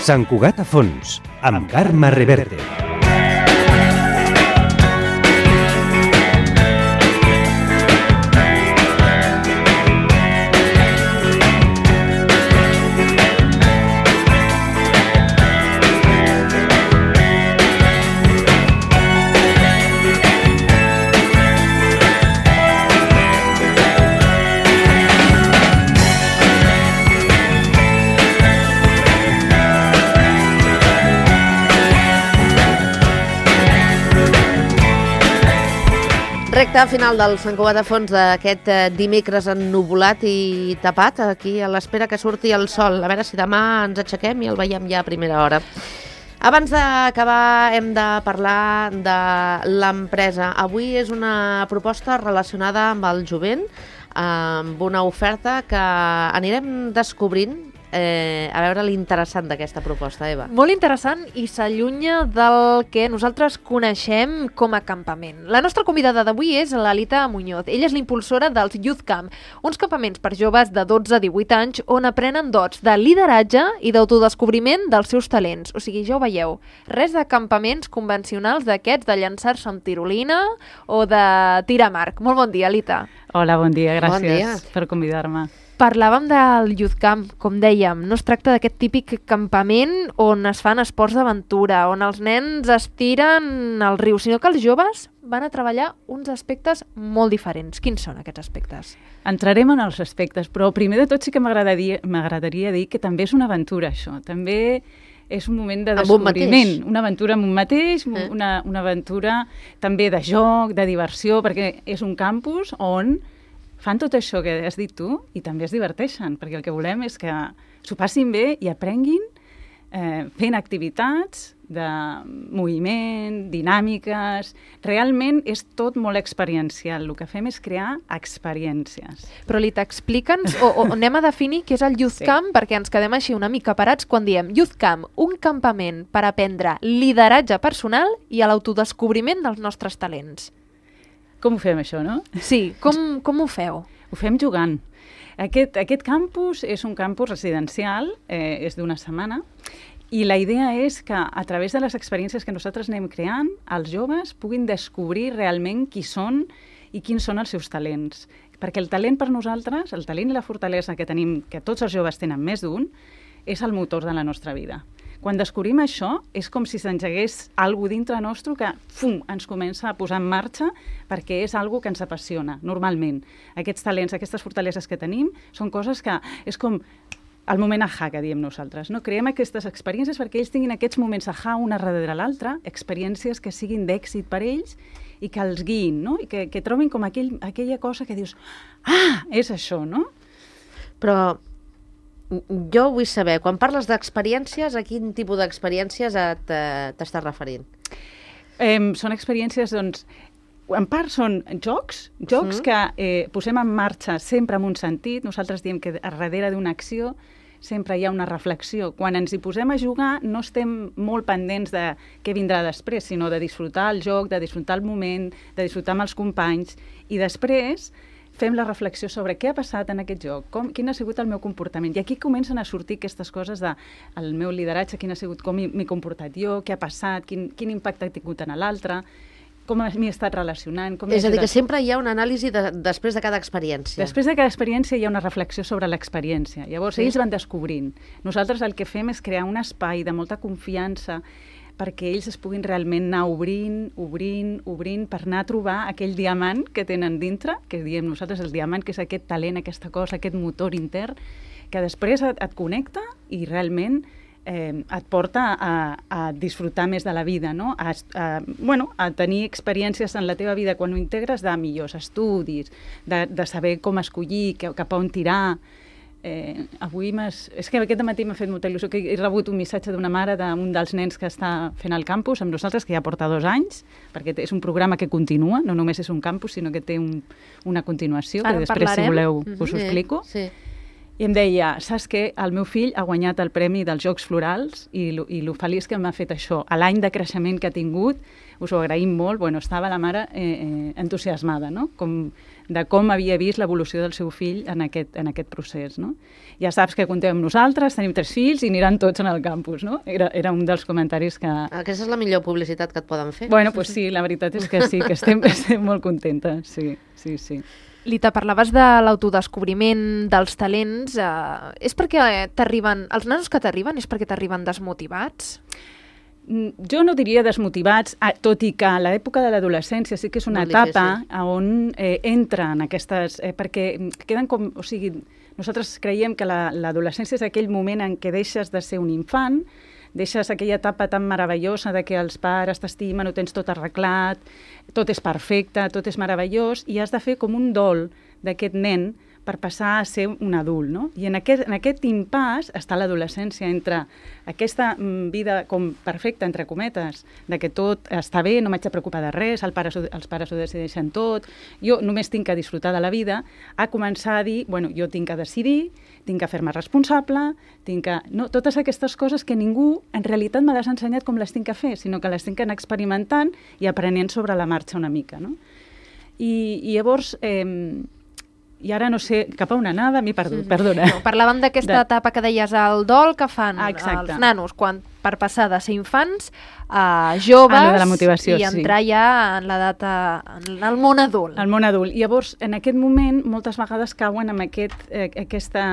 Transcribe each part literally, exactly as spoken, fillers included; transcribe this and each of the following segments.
Sant Cugat a fons, amb Carme Reverte. Recte final del Sant Cugat a fons d'aquest dimecres ennuvolat i tapat, aquí a l'espera que surti el sol. A veure si demà ens aixequem i el veiem ja a primera hora. Abans d'acabar hem de parlar de l'empresa. Avui és una proposta relacionada amb el jovent, amb una oferta que anirem descobrint. Eh, a veure l'interessant d'aquesta proposta, Eva. Molt interessant i s'allunya del que nosaltres coneixem com a campament. La nostra convidada d'avui és l'Alita Muñoz. Ella és l'impulsora dels Youth Camp, uns campaments per joves de dotze a divuit anys on aprenen dots de lideratge i d'autodescobriment dels seus talents. O sigui, ja ho veieu, res de campaments convencionals d'aquests de llançar-se amb tirolina o de tirar amb arc. Molt bon dia, Alita. Hola, bon dia, gràcies bon dia. per convidar-me. Parlàvem del Youth Camp, com dèiem. No es tracta d'aquest típic campament on es fan esports d'aventura, on els nens es tiren al riu, sinó que els joves van a treballar uns aspectes molt diferents. Quins són aquests aspectes? Entrarem en els aspectes, però primer de tot sí que m'agradaria m'agradaria dir que també és una aventura, això. També és un moment de descobriment. Un una aventura amb un mateix, eh? una, una aventura també de joc, de diversió, perquè és un campus on fan tot això que has dit tu i també es diverteixen, perquè el que volem és que s'ho passin bé i aprenguin eh, fent activitats de moviment, dinàmiques. Realment és tot molt experiencial. El que fem és crear experiències. Però li t'explica'ns, o, o anem a definir què és el Youth sí. Camp, perquè ens quedem així una mica parats quan diem Youth Camp, un campament per aprendre lideratge personal i a l'autodescobriment dels nostres talents. Com ho fem, això, no? Sí, com, com ho feu? Ho fem jugant. Aquest, aquest campus és un campus residencial, eh, és d'una setmana, i la idea és que a través de les experiències que nosaltres anem creant, els joves puguin descobrir realment qui són i quins són els seus talents. Perquè el talent per nosaltres, el talent i la fortalesa que tenim, que tots els joves tenen més d'un, és el motor de la nostra vida. Quan descobrim això, és com si s'engegués alguna cosa dintre nostre que fum, ens comença a posar en marxa perquè és alguna que ens apassiona, normalment. Aquests talents, aquestes fortaleses que tenim, són coses que és com el moment ahà que diem nosaltres. No? Creem aquestes experiències perquè ells tinguin aquests moments ahà una darrere l'altra, experiències que siguin d'èxit per ells i que els guiïn, no? I que, que trobin com aquell, aquella cosa que dius, ah, és això, no? Però jo vull saber, quan parles d'experiències, a quin tipus d'experiències t'estàs referint? Eh, són experiències, doncs, en part són jocs, jocs mm. que eh, posem en marxa sempre amb un sentit. Nosaltres diem que darrere d'una acció sempre hi ha una reflexió. Quan ens hi posem a jugar no estem molt pendents de què vindrà després, sinó de disfrutar el joc, de disfrutar el moment, de disfrutar amb els companys, i després fem la reflexió sobre què ha passat en aquest joc, com, quin ha sigut el meu comportament. I aquí comencen a sortir aquestes coses de el meu lideratge, quin ha sigut, com m'he comportat jo, què ha passat, quin, quin impacte ha tingut en l'altre, com m'he estat relacionant. Com és a dir, que sempre hi ha una anàlisi de, després de cada experiència. Després de cada experiència hi ha una reflexió sobre l'experiència. Llavors, sí. ells van descobrint. Nosaltres el que fem és crear un espai de molta confiança perquè ells es puguin realment anar obrint, obrint, obrint, per anar a trobar aquell diamant que tenen dintre, que diem nosaltres el diamant, que és aquest talent, aquesta cosa, aquest motor intern, que després et, et connecta i realment eh, et porta a, a disfrutar més de la vida, no? A, a, bueno, a tenir experiències en la teva vida quan ho integres de millors estudis, de, de saber com escollir, cap a on tirar. Eh, avui m'has... És que aquest matí m'ha fet molta il·lusió que he rebut un missatge d'una mare d'un dels nens que està fent el campus amb nosaltres, que ja porta dos anys, perquè és un programa que continua, no només és un campus, sinó que té un, una continuació, Ara que després, parlarem. si voleu, Mm-hmm. us ho explico. Sí, sí. I em deia, saps què? El meu fill ha guanyat el premi dels Jocs Florals i lo, i lo feliç que m'ha fet això. A l'any de creixement que ha tingut, us ho agraïm molt. Bueno, estava la mare eh, eh, entusiasmada, no? Com, de com havia vist l'evolució del seu fill en aquest, en aquest procés, no? Ja saps que comptem amb nosaltres, tenim tres fills i aniran tots en el campus, no? Era, era un dels comentaris que... Aquesta és la millor publicitat que et poden fer. Bueno, doncs pues sí, la veritat és que sí, que estem, estem molt contentes, sí, sí, sí. Lita, parlaves de l'autodescobriment dels talents. Eh, és perquè t'arriben... Els nanos que t'arriben és perquè t'arriben desmotivats? Jo no diria desmotivats, tot i que a l'època de l'adolescència sí que és una Molt etapa on eh, entren aquestes... Eh, perquè queden com... O sigui, nosaltres creiem que l'adolescència és aquell moment en què deixes de ser un infant, deixes aquella etapa tan meravellosa de que els pares t'estimen, ho tens tot arreglat, tot és perfecte, tot és meravellós, i has de fer com un dol d'aquest nen per passar a ser un adult, no? I en aquest, en aquest impàs està l'adolescència entre aquesta mm, vida com perfecta, entre cometes, de que tot està bé, no m'haig de preocupar de res, el pares, els pares ho decideixen tot, jo només tinc que disfrutar de la vida, a començar a dir, bueno, jo tinc que decidir, tinc que fer-me responsable, tinc que... No, totes aquestes coses que ningú en realitat me les ha ensenyat com les tinc que fer, sinó que les tinc que anar experimentant i aprenent sobre la marxa una mica, no? I, i llavors... Eh, I ara no sé cap a on anava, m'he perdut, perdona. No, parlàvem d'aquesta de... etapa que deies, el dol que fan ah, els nanos quan, per passar de ser infants a joves ah, de la motivació, i entrar sí. ja en l'edat, en el món adult. El món adult. Llavors, en aquest moment, moltes vegades cauen amb aquest, eh, aquesta,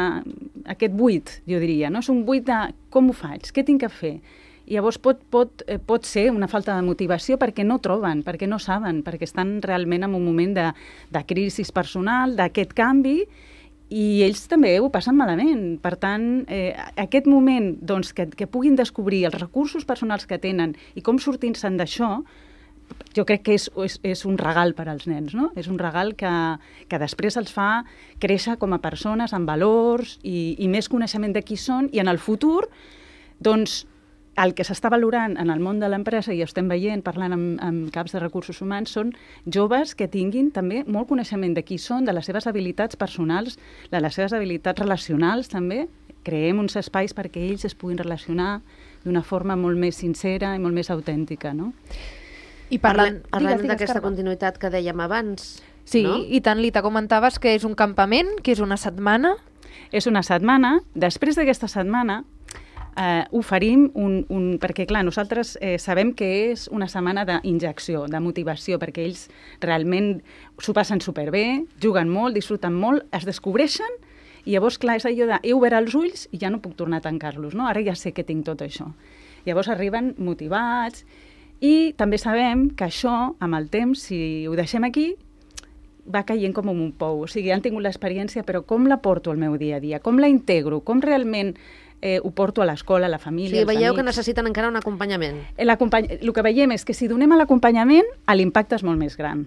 aquest buit, jo diria. No? És un buit de com ho faig, què tinc que fer? Llavors pot, pot, eh, pot ser una falta de motivació perquè no troben, perquè no saben, perquè estan realment en un moment de, de crisi personal, d'aquest canvi, i ells també ho passen malament. Per tant, eh, aquest moment doncs, que, que puguin descobrir els recursos personals que tenen i com sortir-se'n d'això, jo crec que és, és, és un regal per als nens, no? És un regal que, que després els fa créixer com a persones amb valors i, i més coneixement de qui són, i en el futur, doncs, el que s'està valorant en el món de l'empresa, i ho estem veient parlant amb, amb caps de recursos humans, són joves que tinguin també molt coneixement de qui són, de les seves habilitats personals, de les seves habilitats relacionals també. Creem uns espais perquè ells es puguin relacionar d'una forma molt més sincera i molt més autèntica, no? I parlant, parlant d'aquesta continuïtat que dèiem abans, sí, no? I tant, Lita, comentaves que és un campament, que és una setmana. És una setmana. Després d'aquesta setmana, Uh, oferim un, un... Perquè, clar, nosaltres eh, sabem que és una setmana d'injecció, de motivació, perquè ells realment s'ho passen superbé, juguen molt, disfruten molt, es descobreixen, i llavors, clar, és allò de he obert els ulls i ja no puc tornar a tancar-los, no? Ara ja sé que tinc tot això. Llavors arriben motivats, i també sabem que això, amb el temps, si ho deixem aquí, va caient com un pou. O sigui, han tingut l'experiència, però com la porto al meu dia a dia? Com la integro? Com realment... Eh, ho porto a l'escola, a la família, sí, als veieu amics. Que necessiten encara un acompanyament. El que veiem és que si donem l'acompanyament, l'impacte és molt més gran.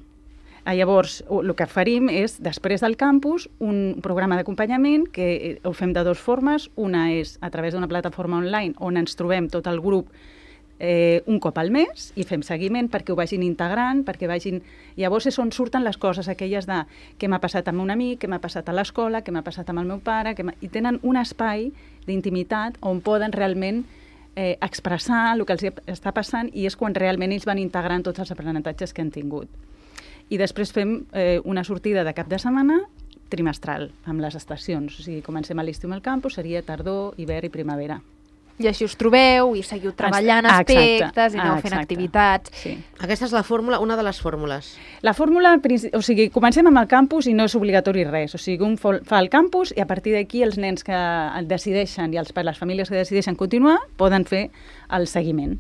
Eh, llavors, el que farim és, després del campus, un programa d'acompanyament que ho fem de dues formes. Una és a través d'una plataforma online on ens trobem tot el grup eh, un cop al mes i fem seguiment perquè ho vagin integrant, perquè vagin... Llavors és on surten les coses aquelles de què m'ha passat amb un amic, què m'ha passat a l'escola, què m'ha passat amb el meu pare, que i tenen un espai d'intimitat on poden realment eh, expressar el que els està passant, i és quan realment ells van integrant tots els aprenentatges que han tingut. I després fem eh, una sortida de cap de setmana trimestral, amb les estacions. O sigui, comencem a l'estiu al campus, seria tardor, hivern i primavera. I així us trobeu i seguiu treballant ah, aspectes exacte, i aneu ah, fent exacte. activitats. Sí. Aquesta és la fórmula, una de les fórmules. La fórmula, o sigui, comencem amb el campus i no és obligatori res. O sigui, un fa el campus i a partir d'aquí els nens que decideixen i els, les famílies que decideixen continuar poden fer el seguiment.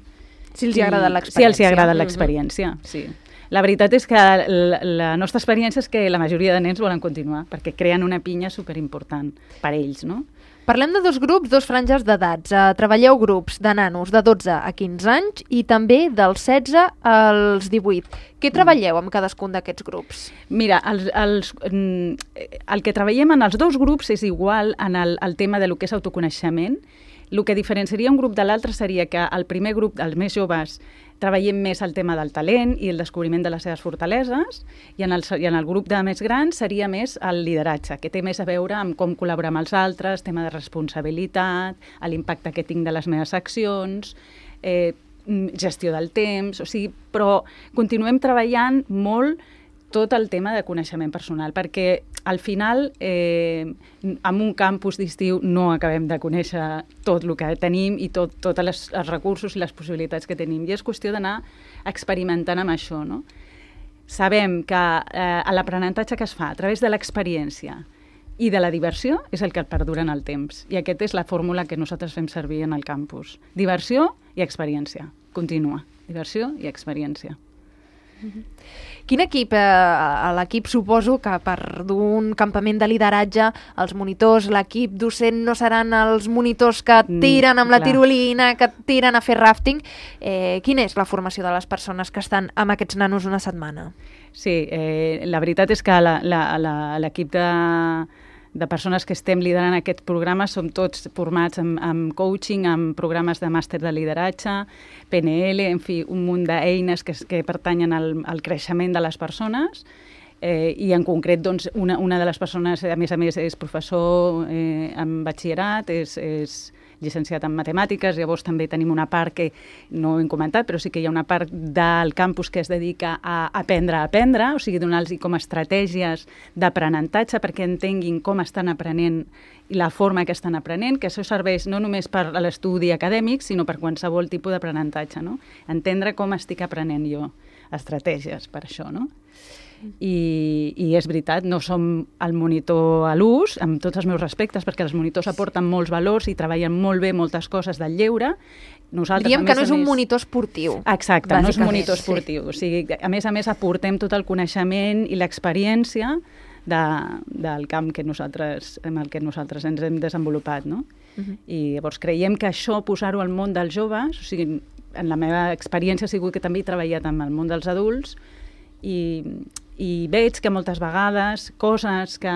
Si els hi agrada l'experiència. Si els hi agrada l'experiència, mm-hmm. sí. La veritat és que la, la nostra experiència és que la majoria de nens volen continuar perquè creen una pinya superimportant per ells, no? Parlem de dos grups, dos franges d'edats. Uh, treballeu grups de nanos de dotze a quinze anys i també dels setze als divuit. Què treballeu amb cadascun d'aquests grups? Mira, els, els, el que treballem en els dos grups és igual en el, el tema de lo que és autoconeixement. El que diferenciaria un grup de l'altre seria que el primer grup, els més joves, treballem més el tema del talent i el descobriment de les seves fortaleses, i en el, i en el grup de més grans seria més el lideratge, que té més a veure amb com col·laborar amb els altres, tema de responsabilitat, l'impacte que tinc de les meves accions, eh, gestió del temps, o sigui, però continuem treballant molt tot el tema de coneixement personal, perquè al final, eh, en un campus d'estiu no acabem de conèixer tot el que tenim i tot, tots els recursos i les possibilitats que tenim. I és qüestió d'anar experimentant amb això, no? Sabem que eh, l'aprenentatge que es fa a través de l'experiència i de la diversió és el que et perdura en el temps. I aquesta és la fórmula que nosaltres fem servir en el campus. Diversió i experiència. Continua. Diversió i experiència. Quin equip? Eh, l'equip suposo que per d'un campament de lideratge els monitors, l'equip docent no seran els monitors que tiren amb la clar. tirolina, que tiren a fer rafting. Eh, quina és la formació de les persones que estan amb aquests nanos una setmana? Sí, eh, la veritat és que l'equip de, de persones que estem liderant aquest programa som tots formats amb, amb coaching, amb programes de màster de lideratge, P N L, en fi, un munt d'eines que, que pertanyen al, al creixement de les persones, eh, i en concret doncs, una, una de les persones, a més a més, és professor eh, en batxillerat, és, és llicenciat en matemàtiques, llavors també tenim una part que no ho hem comentat, però sí que hi ha una part del campus que es dedica a aprendre a aprendre, o sigui, donar-los com a estratègies d'aprenentatge perquè entenguin com estan aprenent i la forma que estan aprenent, que això serveix no només per a l'estudi acadèmic, sinó per qualsevol tipus d'aprenentatge, no? Entendre com estic aprenent jo, estratègies per això, no? I, i és veritat, no som el monitor a l'ús, amb tots els meus respectes, perquè els monitors aporten molts valors i treballen molt bé moltes coses del lleure. Nosaltres, Diem a que més no és un més... monitor esportiu. Exacte, no és un monitor sí. esportiu. O sigui, a més a més aportem tot el coneixement i l'experiència de, del camp que nosaltres, amb el que nosaltres ens hem desenvolupat, no? Uh-huh. I llavors creiem que això, posar-ho al món dels joves, o sigui, en la meva experiència ha sigut que també he treballat amb el món dels adults, i, i veig que moltes vegades coses que,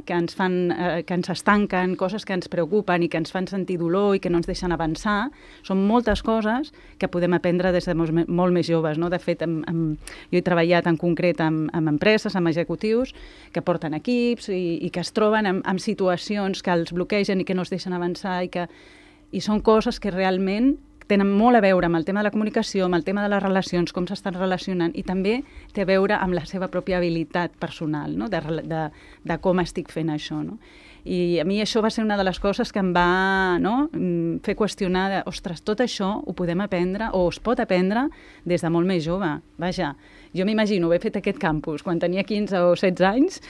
que, ens fan, eh, que ens estanquen, coses que ens preocupen i que ens fan sentir dolor i que no ens deixen avançar, són moltes coses que podem aprendre des de molt, molt més joves, no? De fet, amb, amb, jo he treballat en concret amb, amb empreses, amb executius, que porten equips i, i que es troben en, en situacions que els bloquegen i que no es deixen avançar i que i són coses que realment tenen molt a veure amb el tema de la comunicació, amb el tema de les relacions, com s'estan relacionant, i també té a veure amb la seva pròpia habilitat personal, no? de, de, de com estic fent això, no? I a mi això va ser una de les coses que em va, no? fer qüestionar de, ostres, tot això ho podem aprendre, o es pot aprendre des de molt més jove. Vaja, jo m'imagino haver fet aquest campus quan tenia quinze o setze anys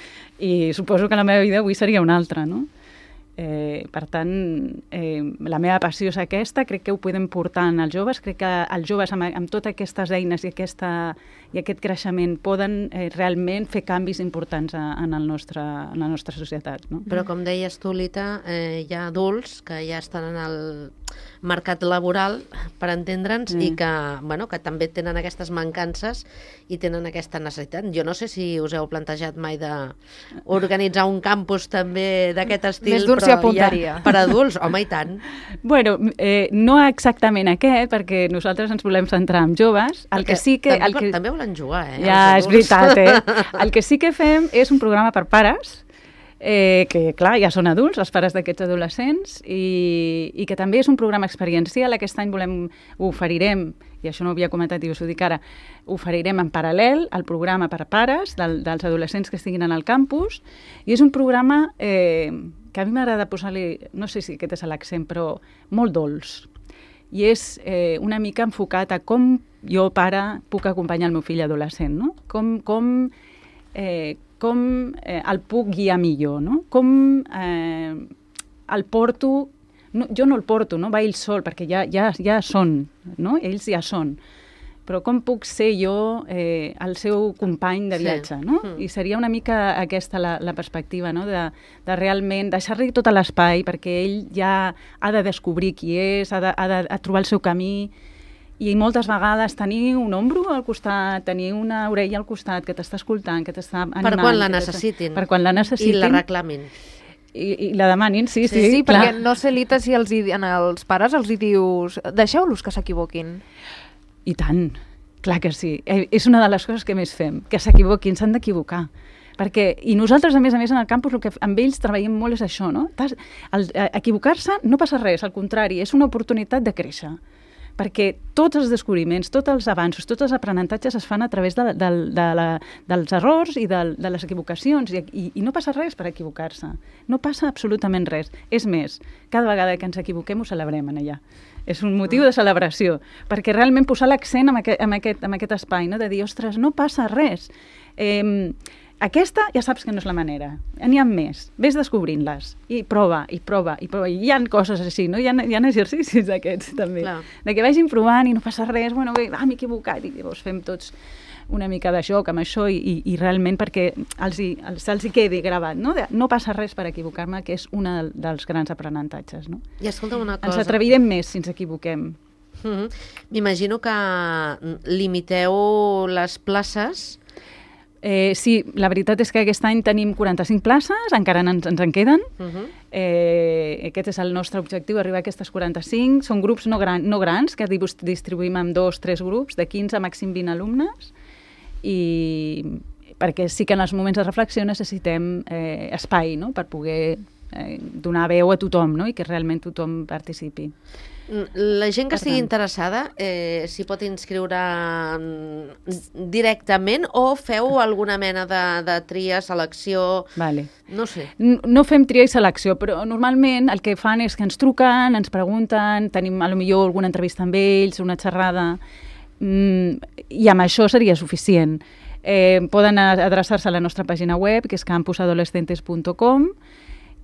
i suposo que la meva vida avui seria una altra, no? Eh, per tant, eh, la meva passió és aquesta, crec que ho podem portar als joves, crec que els joves amb, amb totes aquestes eines i, aquesta, i aquest creixement poden eh, realment fer canvis importants a, en, el nostre, en la nostra societat. No? Però com deies tu, Lita, eh, hi ha adults que ja estan en el mercat laboral, per entendre'ns, mm. i que, bueno, que també tenen aquestes mancances i tenen aquesta necessitat. Jo no sé si us heu plantejat mai d'organitzar un campus també d'aquest estil, Més d'un s'hi apuntaria. Ja, per adults, home, i tant. Bueno, eh, no exactament aquest, perquè nosaltres ens volem centrar en joves. El Perquè que sí que, també, el que... també volen jugar, eh? Ja, és veritat, eh? El que sí que fem és un programa per pares, eh, que, clar, ja són adults, els pares d'aquests adolescents, i, i que també és un programa experiencial. Aquest any volem, ho oferirem, i això no ho havia comentat i us ho dic ara, ho oferirem en paral·lel al programa per pares del, dels adolescents que estiguin en el campus, i és un programa eh, que a mi m'agrada posar-li, no sé si aquest és l'accent, però molt dolç. I és eh, una mica enfocat a com jo, pare, puc acompanyar el meu fill adolescent, no? Com, com, eh, com eh, el puc guiar millor, no? Com eh, el porto, no, jo no el porto, no? Va ell sol, perquè ja, ja, ja són, no? Ells ja són. Però com puc ser jo eh, el seu company de viatge, sí. no? Mm. I seria una mica aquesta la, la perspectiva, no? De, de realment deixar-li tot l'espai perquè ell ja ha de descobrir qui és, ha de, ha de ha trobar el seu camí, i moltes vegades tenir un ombro al costat, tenir una orella al costat que t'està escoltant, que t'està animant. Per quan la necessitin. Per quan la necessitin. I la reclamin. I, i la demanin, sí, sí, sí, sí clar. Perquè no sé, Lita, si els, hi, en els pares els hi dius deixeu-los que s'equivoquin. I tant, clar que sí. Eh, és una de les coses que més fem, que s'equivoquin, s'han d'equivocar. Perquè, i nosaltres, a més a més, en el campus, el que amb ells treballem molt és això, no? El, el, equivocar-se no passa res, al contrari, és una oportunitat de créixer. Perquè tots els descobriments, tots els avanços, tots els aprenentatges es fan a través de, de, de la, dels errors i de, de les equivocacions, i, i, i no passa res per equivocar-se. No passa absolutament res. És més, cada vegada que ens equivoquem ho celebrem en allà. És un motiu de celebració, perquè realment posar l'accent en, aquest, en, aquest, en aquest espai, no? De dir, ostres, no passa res. Eh, Aquesta ja saps que no és la manera. N'hi ha més. Ves descobrint-les. I prova, i prova, i prova. I hi ha coses així, no? Hi ha, hi ha exercicis d'aquests, també. Clar. De que vagin provant i no passa res. Bueno, bé, ah, m'he equivocat. I llavors fem tots una mica de joc amb això i, i, i realment perquè els hi, els, els hi quedi gravat, no? De, no passa res per equivocar-me, que és un dels grans aprenentatges, no? I escolta'm una cosa. Ens atrevirem més si ens equivoquem. Mm-hmm. M'imagino que limiteu les places. Eh, sí, la veritat és que aquest any tenim quaranta-cinc places, encara ens, ens en queden. Uh-huh. eh, aquest és el nostre objectiu, arribar a aquestes quaranta-cinc. Són grups no, gran, no grans, que distribuïm en dos, tres grups, de quinze a màxim vint alumnes, i perquè sí que en els moments de reflexió necessitem eh, espai, no?, per poder eh, donar veu a tothom, no?, i que realment tothom participi. La gent que estigui interessada eh, s'hi pot inscriure directament o feu alguna mena de, de tria, selecció? Vale. No sé. No fem tria i selecció, però normalment el que fan és que ens truquen, ens pregunten, tenim a lo millor alguna entrevista amb ells, una xerrada, mm, i amb això seria suficient. Eh, poden adreçar-se a la nostra pàgina web, que és campus adolescentes punt com,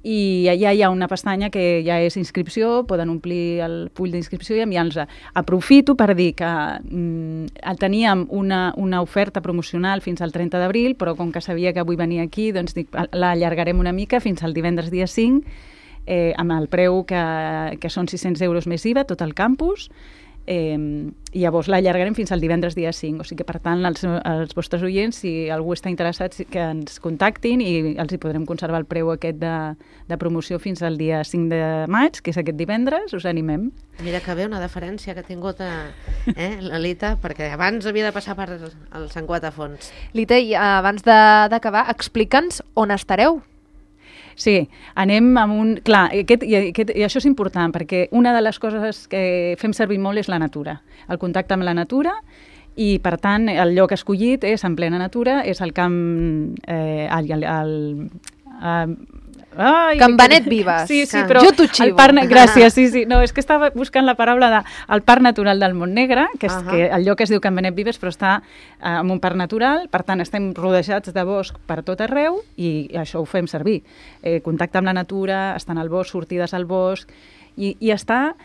i allà hi ha una pestanya que ja és inscripció, poden omplir el full d'inscripció i enviar-nos. Aprofito per dir que mm, teníem una, una oferta promocional fins al trenta d'abril, però com que sabia que avui venia aquí, doncs dic, l'allargarem una mica fins al divendres dia cinc, eh, amb el preu que, que són sis-cents euros més I V A, tot el campus, eh, i llavors l'allargarem fins al divendres dia cinc. O sigui que, per tant, els, els vostres oients, si algú està interessat, que ens contactin i els hi podrem conservar el preu aquest de, de promoció fins al dia cinc de maig, que és aquest divendres, us animem. Mira que bé, una deferència que ha tingut eh, la Lita, perquè abans havia de passar per el Sant Guatafons. Lita, i abans d'acabar, explica'ns on estareu. Sí, anem amb un... Clar, aquest, i, aquest, i això és important, perquè una de les coses que fem servir molt és la natura, el contacte amb la natura, i, per tant, el lloc escollit és en plena natura, és el camp... Eh, el, el, el, el, Ai, Can Benet Vives. Sí, sí, però... Jo t'ho xivo. Parc, gràcies, sí, sí. No, és que estava buscant la paraula de el Parc Natural del Montnegre, que, és, uh -huh. que el lloc es diu Can Benet Vives, però està eh, en un parc natural, per tant estem rodejats de bosc per tot arreu i, i això ho fem servir. Eh, contacte amb la natura, estar al bosc, sortides al bosc, i, i estar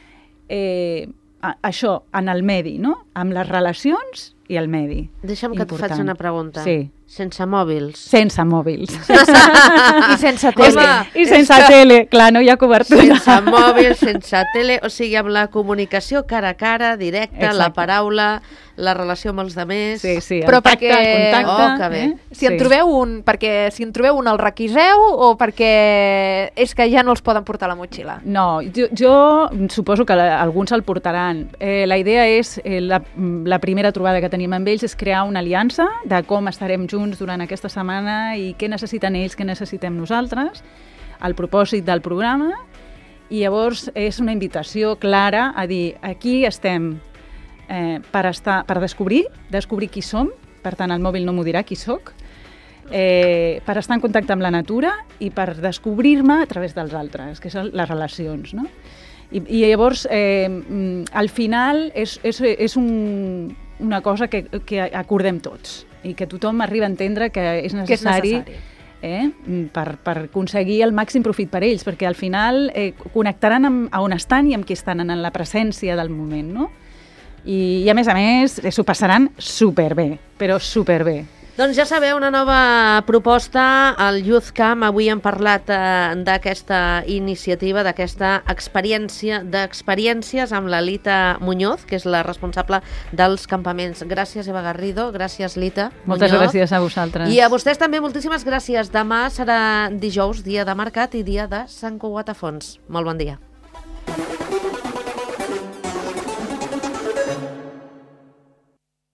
eh, a, això, en el medi, no?, amb les relacions i el medi. Deixa'm que Important. et faig una pregunta. Sí. Sense mòbils. Sense mòbils. I sense tele. Home, I sense que... tele, clar, no hi ha cobertura. Sense mòbils, sense tele, o sigui, amb la comunicació cara a cara, directa, Exacte. La paraula, la relació amb els altres. Sí, sí, però el tacte, perquè... el contacte. Oh, que bé. Eh? Si en sí. trobeu un, perquè si en trobeu un el requiseu o perquè és que ja no els poden portar a la motxilla? No, jo, jo suposo que la, alguns el portaran. Eh, la idea és, eh, la, la primera trobada que tenim amb ells és crear una aliança de com estarem junts durant aquesta setmana i què necessiten ells, què necessitem nosaltres, el propòsit del programa, i llavors és una invitació clara a dir, aquí estem eh, per, estar, per descobrir, descobrir qui som, per tant el mòbil no m'ho dirà qui soc, eh, per estar en contacte amb la natura i per descobrir-me a través dels altres, que són les relacions, no? I, i llavors, eh, al final, és, és, és un, una cosa que, que acordem tots i que tothom arriba a entendre que és necessari, que és necessari. Eh, per, per aconseguir el màxim profit per ells, perquè al final eh, connectaran amb, a on estan i amb qui estan en la presència del moment, no? I, i a més a més, s'ho passaran superbé, però superbé. Doncs ja sabeu, una nova proposta al Youth Camp. Avui hem parlat eh, d'aquesta iniciativa, d'aquesta experiència d'experiències amb la Lita Muñoz, que és la responsable dels campaments. Gràcies, Eva Garrido. Gràcies, Lita Moltes Muñoz. gràcies a vosaltres. I a vostès també moltíssimes gràcies. Demà serà dijous, dia de mercat i dia de Sant Guatafons. Molt bon dia.